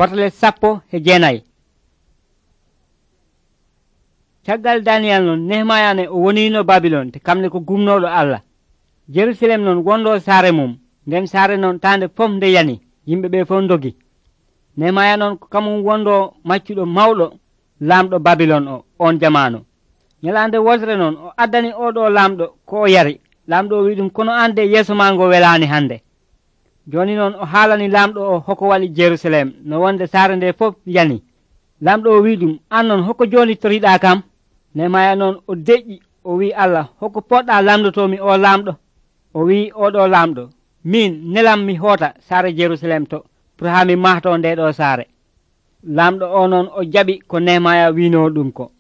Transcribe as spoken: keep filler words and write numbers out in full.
Battale sappo e jeenayi. Caggal Daniyal non Nehemaya ne o wonino Babilon te kamne ko gumnoɗo Allah. Jerusalem non wondo saare mum, nden saare non tande fof nde yani yimɓe ɓe fof dogi. Nehemaya non ko kamum wondo maccuɗo mawɗo laamɗo Babilon o on jamanu. Nyalande wosre non o addani oɗo laamɗo ko o yari. Laamɗo o wi ɗum kono ande yeeso ma ngo welani hande. Joni noon o haalani laamɗo o hoko waɗi Jerusalem no wonde saare nde fof yani. Laamɗo o wi ɗum an non hoko joni toriɗa kam. Nehemaya noon o deƴƴi o wi Allah hoko poɗɗa lamdotomi o laamɗo. O wi oɗo laamɗo min nelam mi hoota saare Jerusalem to pour ha mi mahto nde ɗo saare. Laamɗo o noon o jaɓi ko Nehemaya wino ɗum ko.